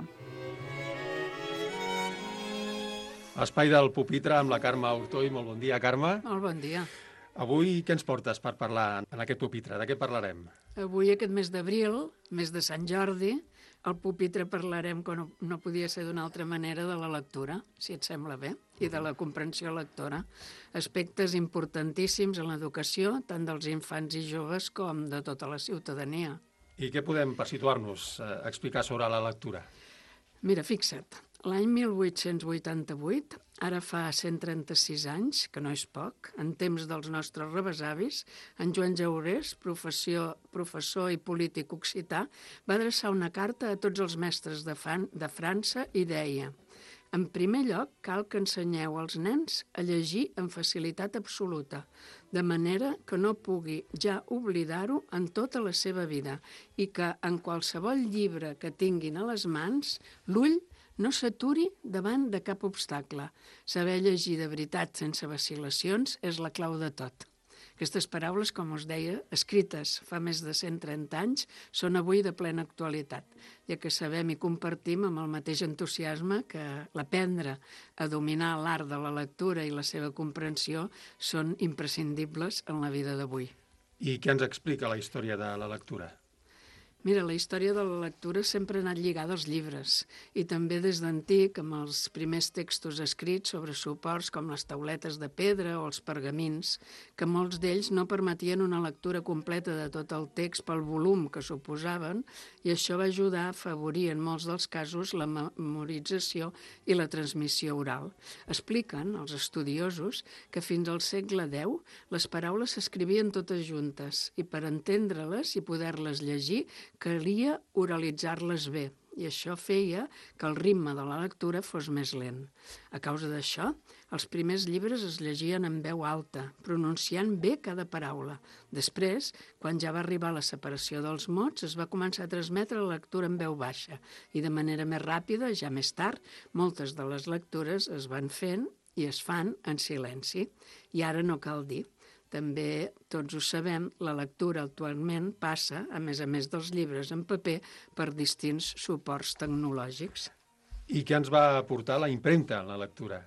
Espai del pupitre amb la Carme Hortoll. Molt bon dia, Carme. Molt bon dia. Avui què ens portes per parlar en aquest pupitre? De què parlarem? Avui, aquest mes d'abril, mes de Sant Jordi, al pupitre parlarem, com no, no podia ser d'una altra manera, de la lectura, si et sembla bé, i de la comprensió lectora. Aspectes importantíssims en l'educació, tant dels infants i joves com de tota la ciutadania. I què podem, per situar-nos, eh, explicar sobre la lectura? Mira, fixa't, l'any mil vuit-cents vuitanta-vuit, ara fa cent trenta-sis anys, que no és poc, en temps dels nostres rebesavis, en Joan Jaurès, professor, professor i polític occità, va adreçar una carta a tots els mestres de, fan, de França i deia: en primer lloc, cal que ensenyeu als nens a llegir amb facilitat absoluta, de manera que no pugui ja oblidar-ho en tota la seva vida i que en qualsevol llibre que tinguin a les mans, l'ull no s'aturi davant de cap obstacle. Saber llegir de veritat sense vacil·lacions és la clau de tot. Aquestes paraules, com us deia, escrites fa més de cent trenta anys, són avui de plena actualitat, ja que sabem i compartim amb el mateix entusiasme que l'aprendre a dominar l'art de la lectura i la seva comprensió són imprescindibles en la vida d'avui. I què ens explica la història de la lectura? Mira, la història de la lectura sempre ha anat lligada als llibres i també des d'antic amb els primers textos escrits sobre suports com les tauletes de pedra o els pergamins, que molts d'ells no permetien una lectura completa de tot el text pel volum que suposaven i això va ajudar a afavorir en molts dels casos la memorització i la transmissió oral. Expliquen els estudiosos que fins al segle deu les paraules s'escrivien totes juntes i per entendre-les i poder-les llegir calia oralitzar-les bé, i això feia que el ritme de la lectura fos més lent. A causa d'això, els primers llibres es llegien en veu alta, pronunciant bé cada paraula. Després, quan ja va arribar la separació dels mots, es va començar a transmetre la lectura en veu baixa, i de manera més ràpida, ja més tard, moltes de les lectures es van fent i es fan en silenci. I ara no cal dir. També, tots ho sabem, la lectura actualment passa, a més a més dels llibres en paper, per distints suports tecnològics. I què ens va aportar la impremta en la lectura?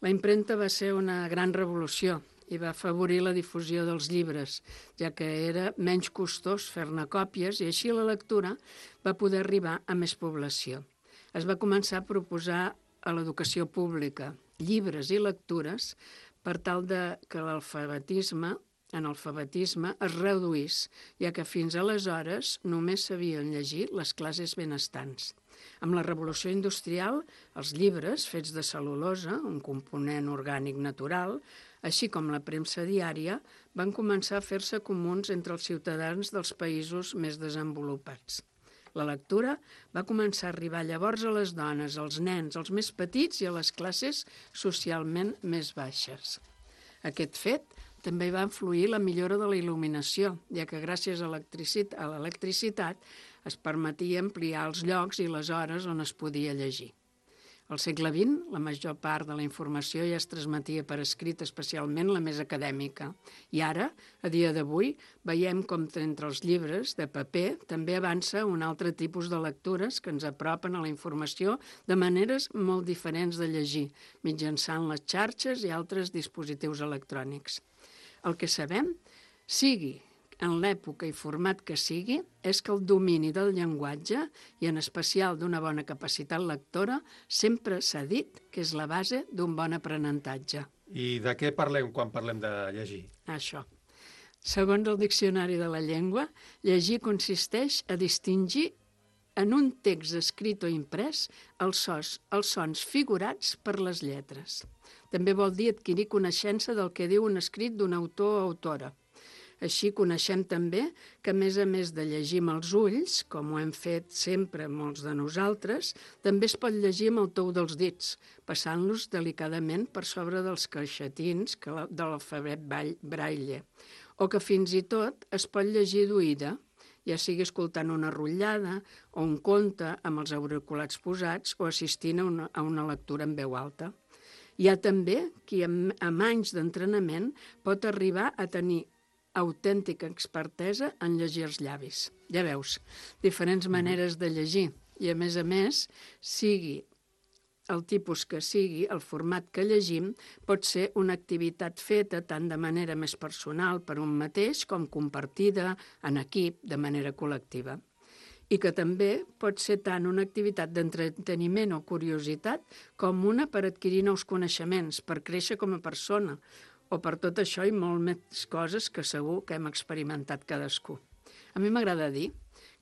La impremta va ser una gran revolució i va afavorir la difusió dels llibres, ja que era menys costós fer-ne còpies i així la lectura va poder arribar a més població. Es va començar a proposar a l'educació pública llibres i lectures per tal de que l'alfabetisme, analfabetisme es reduís, ja que fins aleshores només sabien llegir les classes benestants. Amb la revolució industrial, els llibres fets de cel·lulosa, un component orgànic natural, així com la premsa diària, van començar a fer-se comuns entre els ciutadans dels països més desenvolupats. La lectura va començar a arribar llavors a les dones, als nens, als més petits i a les classes socialment més baixes. Aquest fet també va influir la millora de la il·luminació, ja que gràcies a l'electricitat es permetia ampliar els llocs i les hores on es podia llegir. Al segle vint, la major part de la informació ja es transmetia per escrit, especialment la més acadèmica. I ara, a dia d'avui, veiem com entre els llibres de paper també avança un altre tipus de lectures que ens apropen a la informació de maneres molt diferents de llegir, mitjançant les xarxes i altres dispositius electrònics. El que sabem, sigui en l'època i format que sigui, és que el domini del llenguatge, i en especial d'una bona capacitat lectora, sempre s'ha dit que és la base d'un bon aprenentatge. I de què parlem quan parlem de llegir? Això. Segons el Diccionari de la Llengua, llegir consisteix a distingir en un text escrit o imprès els sons, els sons figurats per les lletres. També vol dir adquirir coneixença del que diu un escrit d'un autor o autora. Així coneixem també que, a més a més de llegir amb els ulls, com ho hem fet sempre molts de nosaltres, també es pot llegir amb el tou dels dits, passant-los delicadament per sobre dels caixetins de l'alfabet braille, o que fins i tot es pot llegir d'oïda, ja sigui escoltant una rotllada o un conte amb els auriculars posats o assistint a una, a una lectura en veu alta. Hi ha també qui amb, amb anys d'entrenament pot arribar a tenir autèntica expertesa en llegir els llavis. Ja veus, diferents maneres de llegir i, a més a més, sigui el tipus que sigui, el format que llegim, pot ser una activitat feta tant de manera més personal per un mateix com compartida en equip, de manera col·lectiva. I que també pot ser tant una activitat d'entreteniment o curiositat com una per adquirir nous coneixements, per créixer com a persona, o per tot això i molt més coses que segur que hem experimentat cadascú. A mi m'agrada dir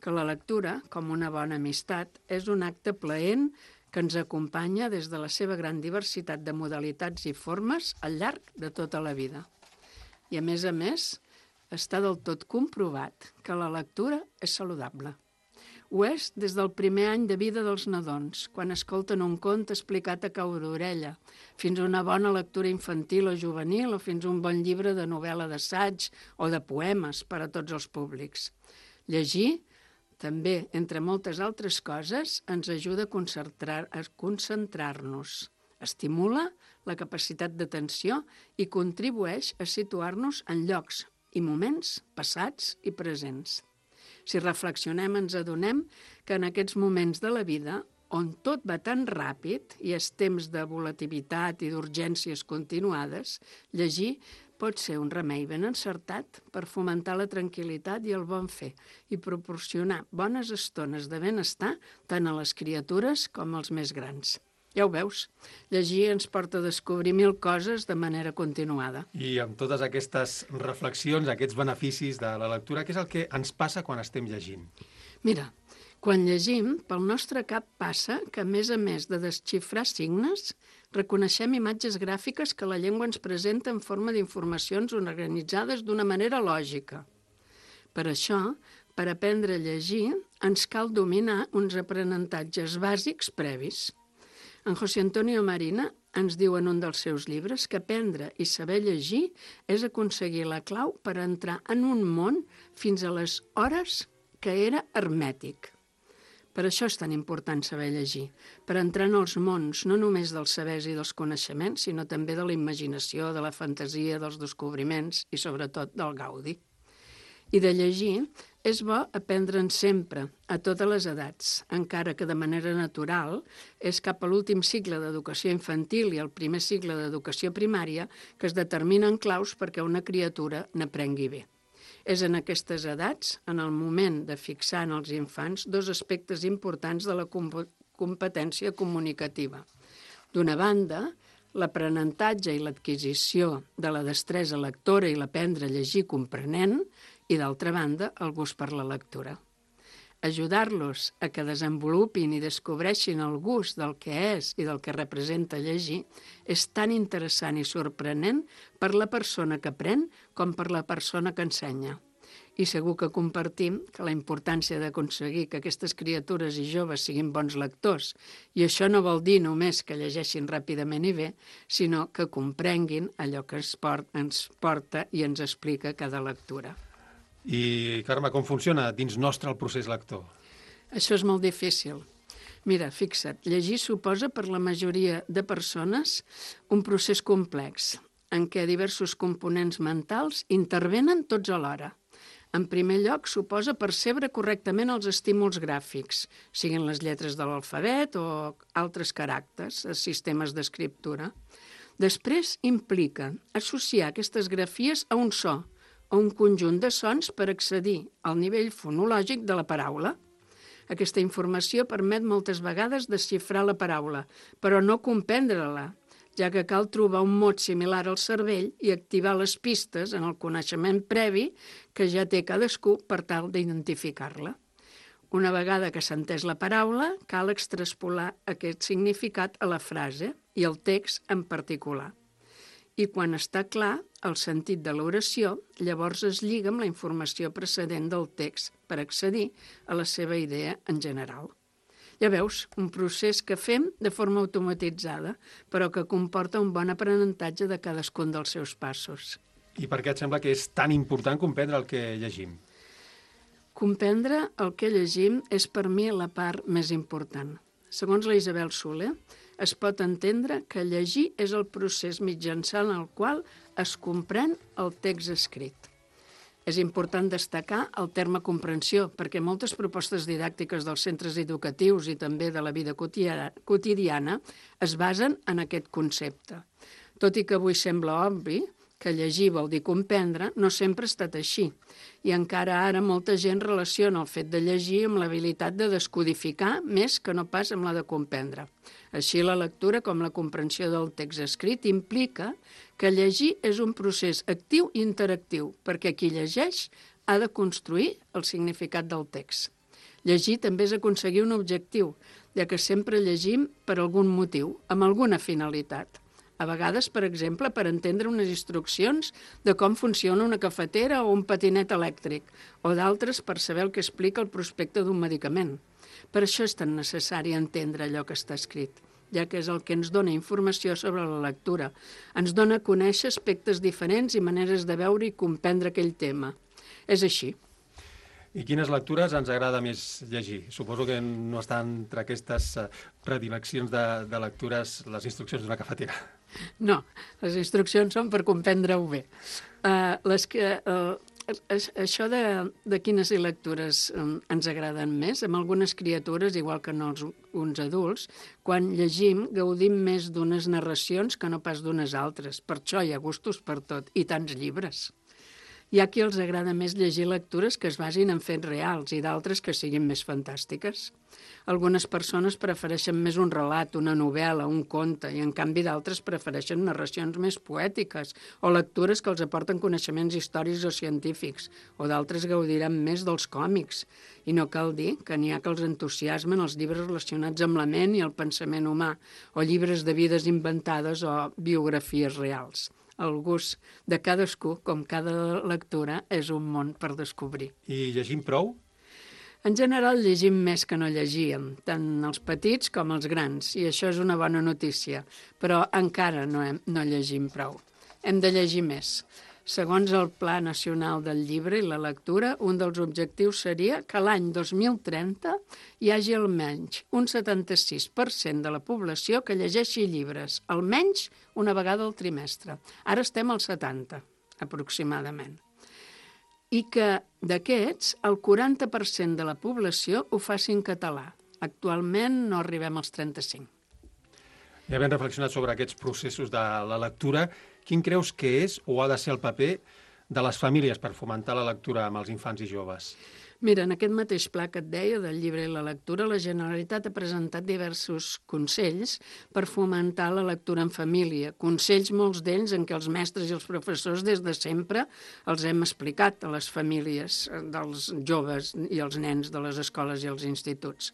que la lectura, com una bona amistat, és un acte plaent que ens acompanya des de la seva gran diversitat de modalitats i formes al llarg de tota la vida. I, a més a més, està del tot comprovat que la lectura és saludable. Ho és des del primer any de vida dels nadons, quan escolten un conte explicat a cau d'orella, fins a una bona lectura infantil o juvenil o fins a un bon llibre de novel·la d'assaig o de poemes per a tots els públics. Llegir, també, entre moltes altres coses, ens ajuda a concentrar, a concentrar-nos, estimula la capacitat d'atenció i contribueix a situar-nos en llocs i moments passats i presents. Si reflexionem, ens adonem que en aquests moments de la vida, on tot va tan ràpid i és temps de volatilitat i d'urgències continuades, llegir pot ser un remei ben encertat per fomentar la tranquil·litat i el bon fer i proporcionar bones estones de benestar tant a les criatures com als més grans. Ja ho veus, llegir ens porta a descobrir mil coses de manera continuada. I amb totes aquestes reflexions, aquests beneficis de la lectura, què és el que ens passa quan estem llegint? Mira, quan llegim, pel nostre cap passa que, a més a més de desxifrar signes, reconeixem imatges gràfiques que la llengua ens presenta en forma d'informacions organitzades d'una manera lògica. Per això, per aprendre a llegir, ens cal dominar uns aprenentatges bàsics previs. En José Antonio Marina ens diu en un dels seus llibres que aprendre i saber llegir és aconseguir la clau per entrar en un món fins a les hores que era hermètic. Per això és tan important saber llegir, per entrar en els mons no només dels sabers i dels coneixements, sinó també de la imaginació, de la fantasia, dels descobriments i, sobretot, del gaudi. I de llegir és bo aprendre'n sempre, a totes les edats, encara que de manera natural és cap a l'últim cicle d'educació infantil i el primer cicle d'educació primària que es determinen claus perquè una criatura n'aprengui bé. És en aquestes edats, en el moment de fixar en els infants, dos aspectes importants de la competència comunicativa. D'una banda, l'aprenentatge i l'adquisició de la destresa lectora i l'aprendre a llegir comprenent, i d'altra banda, el gust per la lectura. Ajudar-los a que desenvolupin i descobreixin el gust del que és i del que representa llegir és tan interessant i sorprenent per la persona que aprèn com per la persona que ensenya. I segur que compartim que la importància d'aconseguir que aquestes criatures i joves siguin bons lectors, i això no vol dir només que llegeixin ràpidament i bé, sinó que comprenguin allò que ens porta i ens explica cada lectura. I, Carme, com funciona dins nostre el procés lector? Això és molt difícil. Mira, fixa't, llegir suposa per la majoria de persones un procés complex, en què diversos components mentals intervenen tots alhora. En primer lloc, suposa percebre correctament els estímuls gràfics, siguin les lletres de l'alfabet o altres caràcters, sistemes d'escriptura. Després implica associar aquestes grafies a un so, o un conjunt de sons per accedir al nivell fonològic de la paraula. Aquesta informació permet moltes vegades desxifrar la paraula, però no comprendre-la, ja que cal trobar un mot similar al cervell i activar les pistes en el coneixement previ que ja té cadascú per tal d'identificar-la. Una vegada que s'ha entès la paraula, cal extraspolar aquest significat a la frase i al text en particular. I quan està clar el sentit de l'oració, llavors es lliga amb la informació precedent del text per accedir a la seva idea en general. Ja veus, un procés que fem de forma automatitzada, però que comporta un bon aprenentatge de cadascun dels seus passos. I per què et sembla que és tan important comprendre el que llegim? Comprendre el que llegim és per mi la part més important. Segons la Isabel Soler, es pot entendre que llegir és el procés mitjançant el qual es comprèn el text escrit. És important destacar el terme comprensió, perquè moltes propostes didàctiques dels centres educatius i també de la vida quotidiana es basen en aquest concepte. Tot i que avui sembla obvi que llegir vol dir comprendre, no sempre ha estat així. I encara ara molta gent relaciona el fet de llegir amb l'habilitat de descodificar més que no pas amb la de comprendre. Així, la lectura, com la comprensió del text escrit, implica que llegir és un procés actiu i interactiu, perquè qui llegeix ha de construir el significat del text. Llegir també és aconseguir un objectiu, ja que sempre llegim per algun motiu, amb alguna finalitat. A vegades, per exemple, per entendre unes instruccions de com funciona una cafetera o un patinet elèctric, o d'altres per saber el que explica el prospecte d'un medicament. Per això és tan necessari entendre allò que està escrit, ja que és el que ens dona informació sobre la lectura. Ens dona a conèixer aspectes diferents i maneres de veure i comprendre aquell tema. És així. I quines lectures ens agrada més llegir? Suposo que no estan entre aquestes predileccions de, de lectures les instruccions d'una cafetera. No, les instruccions són per comprendre-ho bé. Uh, les que, uh, això de, de quines lectures um, ens agraden més, amb algunes criatures, igual que no els, uns adults, quan llegim gaudim més d'unes narracions que no pas d'unes altres. Per això hi ha gustos per tot, i tants llibres. Hi ha qui els agrada més llegir lectures que es basin en fets reals i d'altres que siguin més fantàstiques. Algunes persones prefereixen més un relat, una novel·la, un conte, i en canvi d'altres prefereixen narracions més poètiques o lectures que els aporten coneixements històrics o científics, o d'altres gaudiran més dels còmics. I no cal dir que n'hi ha que els entusiasmen els llibres relacionats amb la ment i el pensament humà, o llibres de vides inventades o biografies reals. El gust de cadascú, com cada lectura, és un món per descobrir. I llegim prou? En general llegim més que no llegíem, tant els petits com els grans, i això és una bona notícia, però encara no, hem, no llegim prou. Hem de llegir més. Segons el Pla Nacional del Llibre i la Lectura, un dels objectius seria que l'any dos mil trenta hi hagi almenys un setanta-sis per cent de la població que llegeixi llibres, almenys una vegada al trimestre. Ara estem al setanta, aproximadament. I que d'aquests, el quaranta per cent de la població ho faci en català. Actualment no arribem als trenta-cinc. Ja havent reflexionat sobre aquests processos de la lectura, quin creus que és o ha de ser el paper de les famílies per fomentar la lectura amb els infants i joves? Mira, en aquest mateix pla que et deia del llibre i la lectura, la Generalitat ha presentat diversos consells per fomentar la lectura en família. Consells, molts d'ells, en què els mestres i els professors des de sempre els hem explicat a les famílies dels joves i els nens de les escoles i els instituts.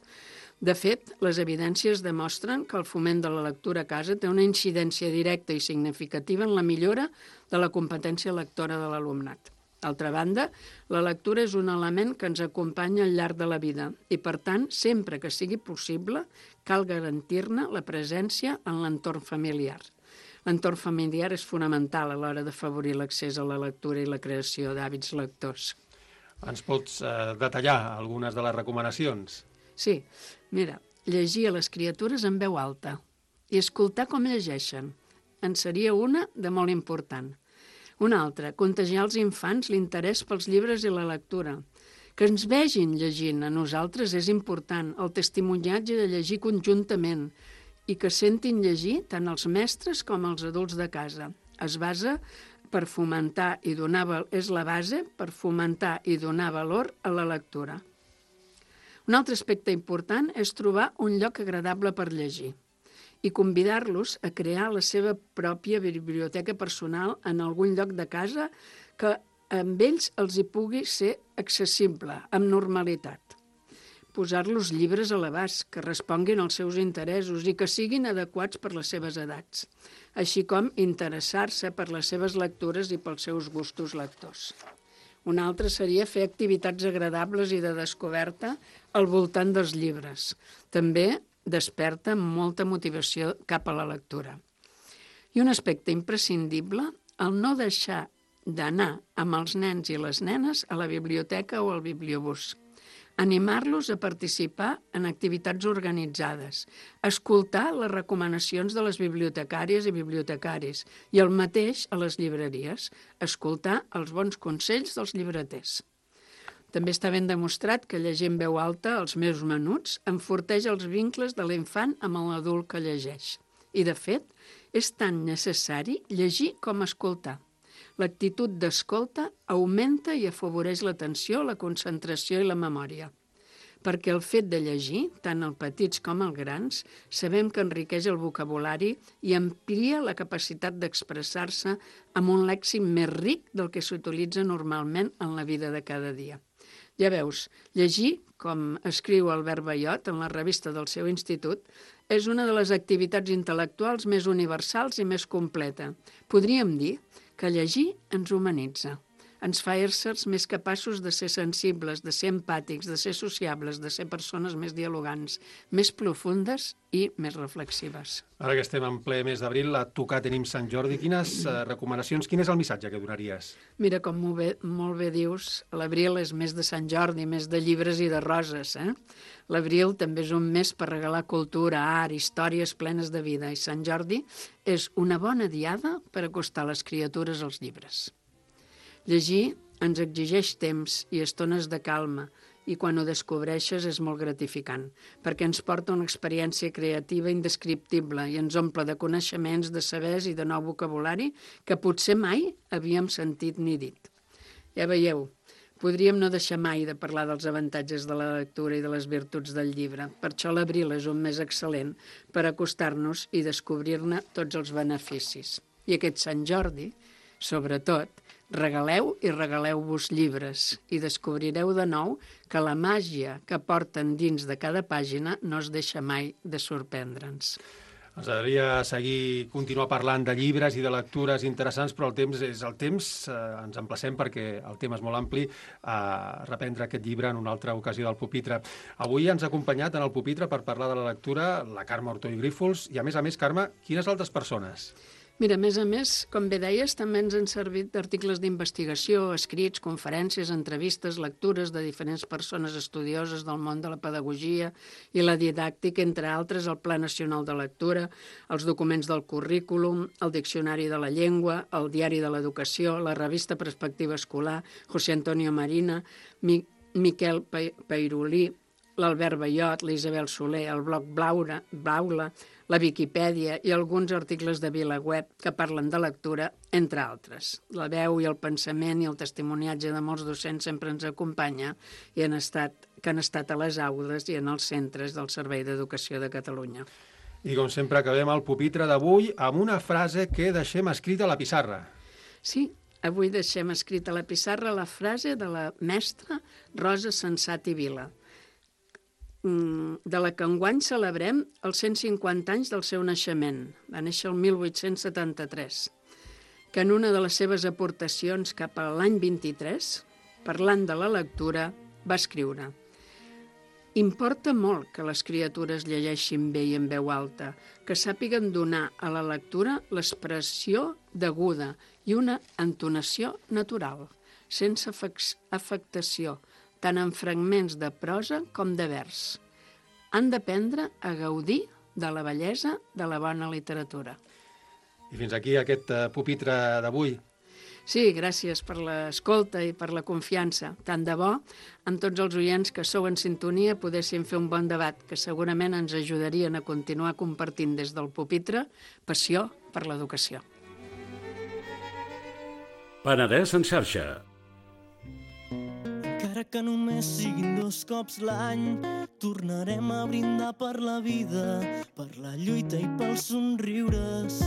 De fet, les evidències demostren que el foment de la lectura a casa té una incidència directa i significativa en la millora de la competència lectora de l'alumnat. D'altra banda, la lectura és un element que ens acompanya al llarg de la vida i, per tant, sempre que sigui possible, cal garantir-ne la presència en l'entorn familiar. L'entorn familiar és fonamental a l'hora d'afavorir l'accés a la lectura i la creació d'hàbits lectors. Ens pots eh, detallar algunes de les recomanacions? Sí, mira, llegir a les criatures en veu alta i escoltar com llegeixen. En seria una de molt important. Una altra, contagiar als infants l'interès pels llibres i la lectura. Que ens vegin llegint a nosaltres és important, el testimoniatge de llegir conjuntament i que sentin llegir tant els mestres com els adults de casa. Es basa per fomentar i donar, és la base per fomentar i donar valor a la lectura. Un altre aspecte important és trobar un lloc agradable per llegir i convidar-los a crear la seva pròpia biblioteca personal en algun lloc de casa que amb ells els hi pugui ser accessible, amb normalitat. posar-los llibres a l'abast, que responguin als seus interessos i que siguin adequats per les seves edats, així com interessar-se per les seves lectures i pels seus gustos lectors. Un altre seria fer activitats agradables i de descoberta al voltant dels llibres. També desperta molta motivació cap a la lectura. I un aspecte imprescindible, el no deixar d'anar amb els nens i les nenes a la biblioteca o al bibliobús. Animar-los a participar en activitats organitzades, escoltar les recomanacions de les bibliotecàries i bibliotecaris i el mateix a les llibreries, escoltar els bons consells dels llibreters. També està ben demostrat que llegir en veu alta els meus menuts enforteix els vincles de l'infant amb l'adult que llegeix. I, de fet, és tan necessari llegir com escoltar. L'actitud d'escolta augmenta i afavoreix l'atenció, la concentració i la memòria. Perquè el fet de llegir, tant els petits com els grans, sabem que enriqueix el vocabulari i amplia la capacitat d'expressar-se amb un lèxic més ric del que s'utilitza normalment en la vida de cada dia. Ja veus, llegir, com escriu Albert Ballot en la revista del seu institut, és una de les activitats intel·lectuals més universals i més completa. Podríem dir que llegir ens humanitza, ens fa éssers més capaços de ser sensibles, de ser empàtics, de ser sociables, de ser persones més dialogants, més profundes i més reflexives. Ara que estem en ple mes d'abril, a tocar tenim Sant Jordi. Quines eh, recomanacions, quin és el missatge que donaries? Mira, com molt bé, molt bé dius, l'abril és mes de Sant Jordi, mes de llibres i de roses, eh? L'abril també és un mes per regalar cultura, art, històries plenes de vida, i Sant Jordi és una bona diada per acostar les criatures als llibres. Llegir ens exigeix temps i estones de calma, i quan ho descobreixes és molt gratificant, perquè ens porta una experiència creativa indescriptible i ens omple de coneixements, de sabers i de nou vocabulari que potser mai havíem sentit ni dit. Ja veieu, podríem no deixar mai de parlar dels avantatges de la lectura i de les virtuts del llibre. Per això l'abril és un mes excel·lent per acostar-nos i descobrir-ne tots els beneficis. I aquest Sant Jordi, sobretot, regaleu i regaleu-vos llibres i descobrireu de nou que la màgia que porten dins de cada pàgina no es deixa mai de sorprendre'ns. Ens agradaria seguir, continuar parlant de llibres i de lectures interessants, però el temps és el temps. Eh, ens emplacem, perquè el tema és molt ampli, a reprendre aquest llibre en una altra ocasió del pupitre. Avui ens ha acompanyat en el pupitre per parlar de la lectura la Carme Ortó i Grífols, i a més a més, Carme, quines altres persones? Mira, a més a més, com bé deies, també ens han servit articles d'investigació, escrits, conferències, entrevistes, lectures de diferents persones estudioses del món de la pedagogia i la didàctica, entre altres, el Pla Nacional de Lectura, els documents del currículum, el Diccionari de la Llengua, el Diari de l'Educació, la revista Perspectiva Escolar, José Antonio Marina, Mi Miquel Peirolí, l'Albert Ballot, l'Isabel Soler, el blog Blaura, Blaula, la Viquipèdia i alguns articles de VilaWeb que parlen de lectura, entre altres. La veu i el pensament i el testimoniatge de molts docents sempre ens acompanya i han estat, que han estat a les aules i en els centres del Servei d'Educació de Catalunya. I com sempre acabem el pupitre d'avui amb una frase que deixem escrita a la pissarra. Sí, avui deixem escrita a la pissarra la frase de la mestra Rosa Sensat i Vila, de la que enguany celebrem els cent cinquanta anys del seu naixement. Va néixer el mil vuit-cents setanta-tres, que en una de les seves aportacions cap a l'any vint-i-tres, parlant de la lectura, va escriure: «Importa molt que les criatures llegeixin bé i en veu alta, que sàpiguen donar a la lectura l'expressió deguda i una entonació natural, sense afectació, tant en fragments de prosa com de vers. Han d'aprendre a gaudir de la bellesa de la bona literatura». I fins aquí aquest pupitre d'avui. Sí, gràcies per l'escolta i per la confiança. Tant de bo, amb tots els oients que sou en sintonia, podéssim fer un bon debat que segurament ens ajudarien a continuar compartint des del pupitre passió per l'educació. Penedès en xarxa. Encara que només siguin dos cops l'any, tornarem a brindar per la vida, per la lluita i pels somriures.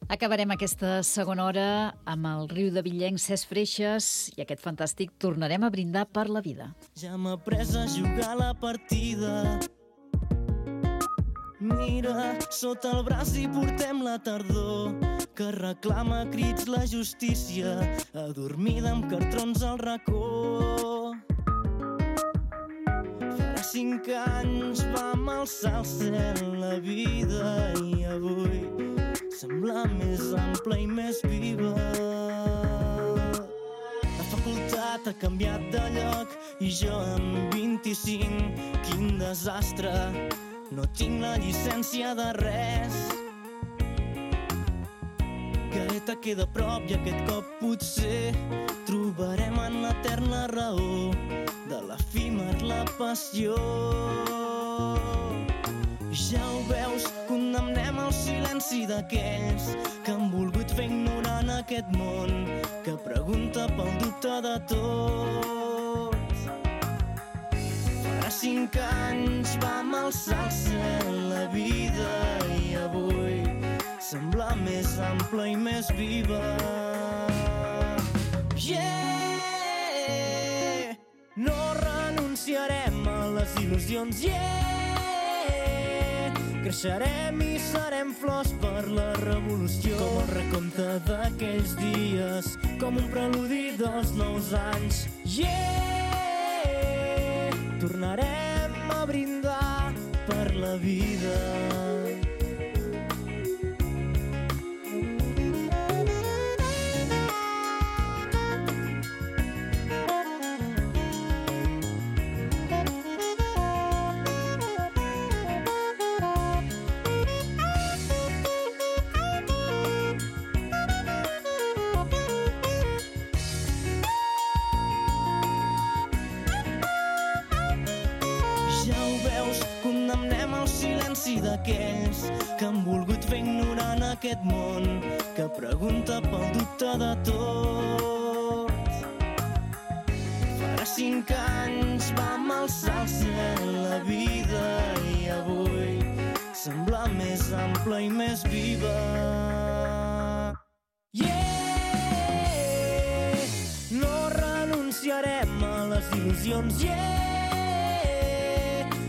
Acabarem aquesta segona hora amb el riu de Villenc, Cesc Freixes, i aquest fantàstic Tornarem a brindar per la vida. Ja m'ha pres a jugar la partida. Mira, sota el braç hi portem la tardor, que reclama a crits la justícia, adormida amb cartrons al racó. Farà cinc anys vam alçar al cel la vida i avui sembla més ampla i més viva. La facultat ha canviat de lloc i jo amb vint-i-cinc, quin desastre, no tinc la llicència de res. Gaeta queda a prop i aquest cop potser trobarem en l'eterna raó de l'efímer la passió. Ja ho veus, condemnem el silenci d'aquells que han volgut fer ignorant aquest món, que pregunta pel dubte de tots. Farà cinc anys vam alçar al cel la vida i avui sembla més ampla i més viva. Yeah! No renunciarem a les il·lusions, yeah! Creixerem i serem flors per la revolució. Com el recompte d'aquells dies, com un preludi dels nous anys. Yeah! Tornarem a brindar per la vida. D'aquells que han volgut fer ignorant aquest món, que pregunta pel dubte de tots. Farà cinc anys vam alçar al cel la vida i avui sembla més ampla i més viva. Yeah! No renunciarem a les il·lusions, yeah!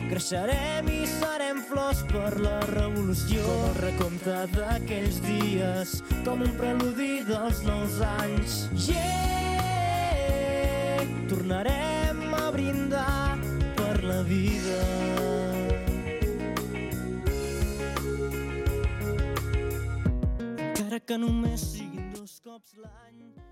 Creixerem i serem flors per la revolució. Com el recompte d'aquells dies, com un preludi dels nous anys. Yeah! Tornarem a brindar per la vida. Encara que només siguin dos cops l'any.